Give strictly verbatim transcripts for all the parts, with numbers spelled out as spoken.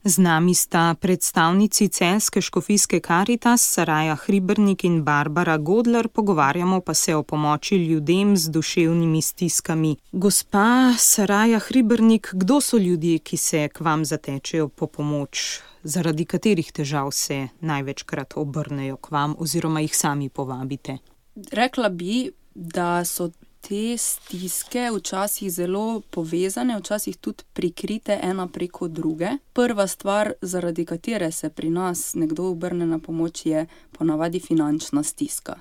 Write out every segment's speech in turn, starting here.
Z nami sta predstavnici celjske škofijske Karitas, Saraja Hribernik in Barbara Godler, pogovarjamo pa se o pomoči ljudem z duševnimi stiskami. Gospa Saraja Hribernik, kdo so ljudje, ki se k vam zatečejo po pomoč? Zaradi katerih težav se največkrat obrnejo k vam oziroma jih sami povabite? Rekla bi, da so te stiske včasih zelo povezane, včasih tudi prikrite ena preko druge. Prva stvar, zaradi katere se pri nas nekdo obrne na pomoč, je ponavadi finančna stiska,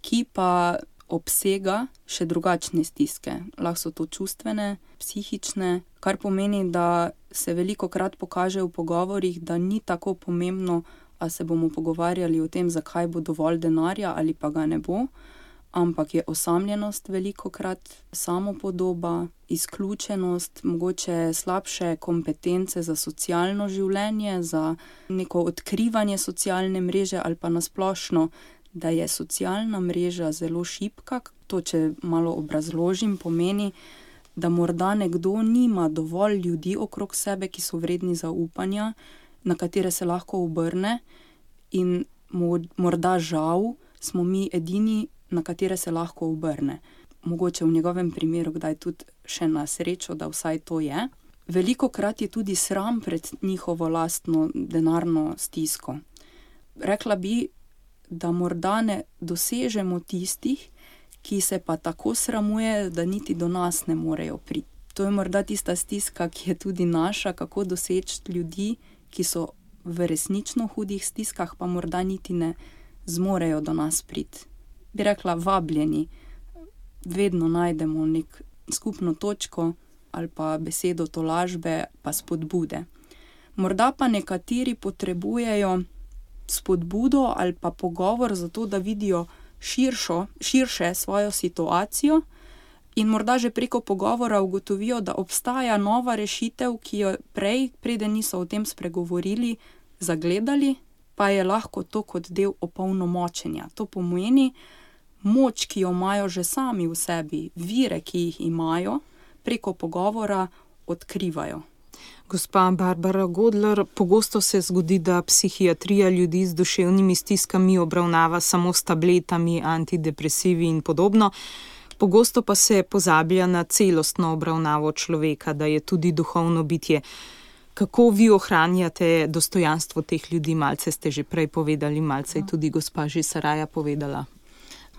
ki pa obsega še drugačne stiske. Lahko so to čustvene, psihične, kar pomeni, da se velikokrat pokaže v pogovorih, da ni tako pomembno, a se bomo pogovarjali o tem, zakaj bo dovolj denarja ali pa ga ne bo, ampak je osamljenost velikokrat, samopodoba, izključenost, mogoče slabše kompetence za socialno življenje, za neko odkrivanje socialne mreže ali pa nasplošno, da je socialna mreža zelo šibka. To, če malo obrazložim, pomeni, da morda nekdo nima dovolj ljudi okrog sebe, ki so vredni zaupanja, na katere se lahko obrne, in morda žal smo mi edini, na katere se lahko obrne. Mogoče v njegovem primeru kdaj tudi še na srečo, da vsaj to je. Velikokrat je tudi sram pred njihovo lastno denarno stisko. Rekla bi, da morda ne dosežemo tistih, ki se pa tako sramuje, da niti do nas ne morejo priti. To je morda tista stiska, ki je tudi naša, kako doseči ljudi, ki so v resnično hudih stiskah, pa morda niti ne zmorejo do nas priti. Bi rekla, vabljeni, vedno najdemo nek skupno točko ali pa besedo tolažbe, pa spodbude. Morda pa nekateri potrebujejo spodbudo ali pa pogovor za to, da vidijo širšo, širše svojo situacijo in morda že preko pogovora ugotovijo, da obstaja nova rešitev, ki jo prej, preden niso o tem spregovorili, zagledali, pa je lahko to kot del opolnomočenja. To pomeni, moč, ki jo imajo že sami v sebi, vire, ki jih imajo, preko pogovora odkrivajo. Gospa Barbara Godler, pogosto se zgodi, da psihiatrija ljudi z duševnimi stiskami obravnava samo s tabletami, antidepresivi in podobno. Pogosto pa se pozablja na celostno obravnavo človeka, da je tudi duhovno bitje. Kako vi ohranjate dostojanstvo teh ljudi? Malce ste že prej povedali, malce je tudi gospa že Saraja povedala.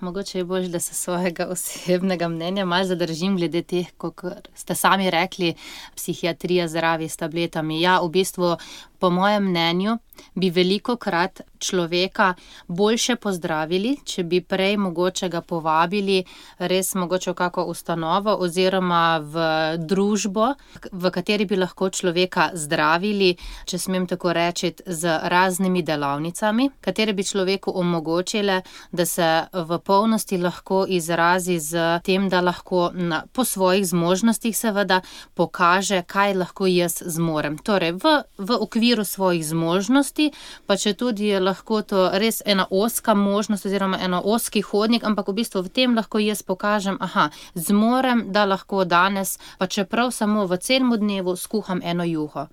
Mogoče je bolj, da se svojega osebnega mnenja malo zadržim glede teh, kot ste sami rekli, psihiatrija zdravi s tabletami. Ja, v bistvu, po mojem mnenju, bi velikokrat človeka boljše pozdravili, če bi prej mogoče ga povabili res mogoče v kako ustanovo oziroma v družbo, v kateri bi lahko človeka zdravili, če smem tako reči, z raznimi delavnicami, katere bi človeku omogočile, da se v polnosti lahko izrazi z tem, da lahko na, po svojih zmožnostih seveda pokaže, kaj lahko jaz zmorem. Torej, v, v okviru svojih zmožnosti, pa če tudi je lahko to res ena ozka možnost oziroma eno ozki hodnik, ampak v bistvu v tem lahko jaz pokažem, aha, zmorem, da lahko danes, pa čeprav samo v celem dnevu skuham eno juho.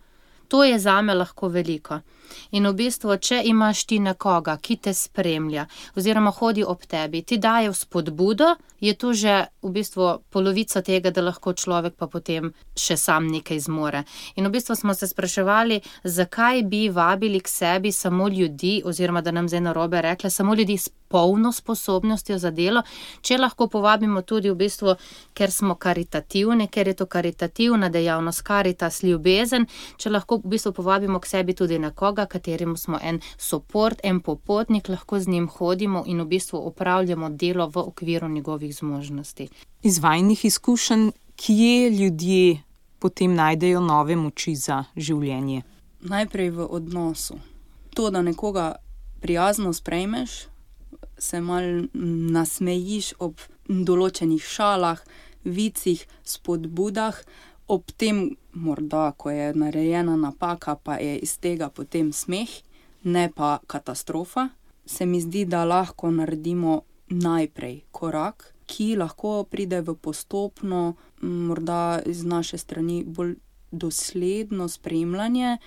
To je zame lahko veliko. In v bistvu, če imaš ti nekoga, ki te spremlja oziroma hodi ob tebi, ti daje spodbudo, je to že v bistvu polovica tega, da lahko človek pa potem še sam nekaj zmore. In v bistvu smo se spraševali, zakaj bi vabili k sebi samo ljudi, oziroma da nam zdaj narobe rekla, samo ljudi s polno sposobnostjo za delo, če lahko povabimo tudi v bistvu, ker smo karitativni, ker je to karitativna dejavnost, karitas, ljubezen, če lahko v bistvu povabimo k sebi tudi nekoga, kateremu smo en soport, en popotnik, lahko z njim hodimo in v bistvu opravljamo delo v okviru njegovih zmožnosti. Iz vajnih izkušenj, kje ljudje potem najdejo nove moči za življenje? Najprej v odnosu. To, da nekoga prijazno sprejmeš, se mal nasmejiš ob določenih šalah, vicih, spodbudah, ob tem morda, ko je narejena napaka, pa je iz tega potem smeh, ne pa katastrofa, se mi zdi, da lahko naredimo najprej korak, ki lahko pride v postopno, morda iz naše strani bolj dosledno spremljanje,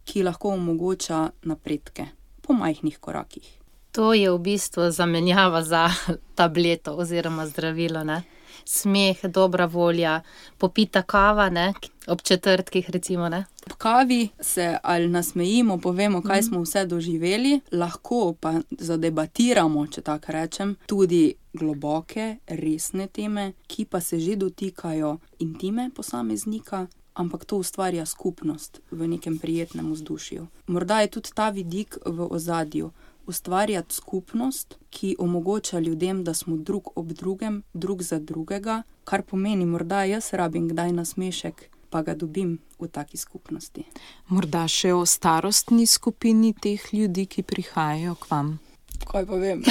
ki lahko omogoča napredke po majhnih korakih. To je v bistvu zamenjava za tableto oziroma zdravilo, ne? Smeh, dobra volja, popita kava, ne? Ob četrtkih recimo, ne? Ob kavi se ali nasmejimo, povemo, kaj smo vse doživeli, lahko pa zadebatiramo, če tako rečem, tudi globoke, resne teme, ki pa se že dotikajo intime posameznika, ampak to ustvarja skupnost v nekem prijetnem vzdušju. Morda je tudi ta vidik v ozadju. Ustvarjati skupnost, ki omogoča ljudem, da smo drug ob drugem, drug za drugega, kar pomeni, morda jaz rabim kdaj nasmešek, pa ga dobim v taki skupnosti. Morda še o starostni skupini teh ljudi, ki prihajajo k vam. Kaj pa vem?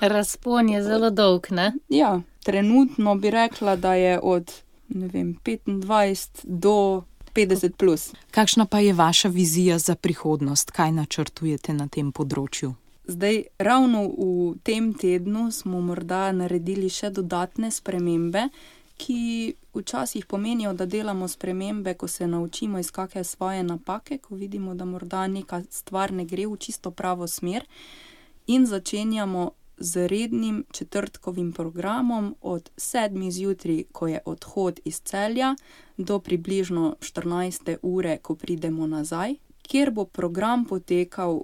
Razpon je zelo dolg, ne? Ja, trenutno bi rekla, da je od, ne vem, petindvajset do petdeset plus. Kakšna pa je vaša vizija za prihodnost? Kaj načrtujete na tem področju? Zdaj, ravno v tem tednu smo morda naredili še dodatne spremembe, ki včasih pomenijo, da delamo spremembe, ko se naučimo iz kakšne svoje napake, ko vidimo, da morda neka stvar ne gre v čisto pravo smer, in začenjamo z rednim četrtkovim programom od sedmih zjutraj, ko je odhod iz Celja, do približno štirinajste ure, ko pridemo nazaj, kjer bo program potekal,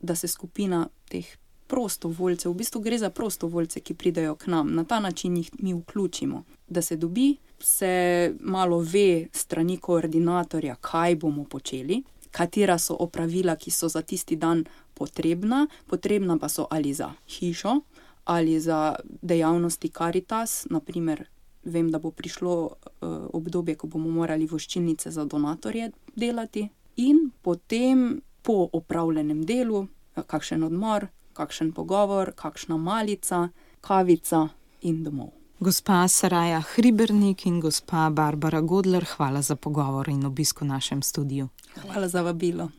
da se skupina teh prostovoljcev, v bistvu gre za prostovoljce, ki pridejo k nam, na ta način jih mi vključimo, da se dobi, se malo ve strani koordinatorja, kaj bomo počeli, katera so opravila, ki so za tisti dan potrebna, potrebna pa so ali za hišo, ali za dejavnosti Karitas, na primer, vem, da bo prišlo uh, obdobje, ko bomo morali voščilnice za donatorje delati, in potem po opravljenem delu, kakšen odmor, kakšen pogovor, kakšna malica, kavica in domov. Gospa Saraja Hribernik in gospa Barbara Godler, hvala za pogovor in obisk v našem studiu. Hvala za vabilo.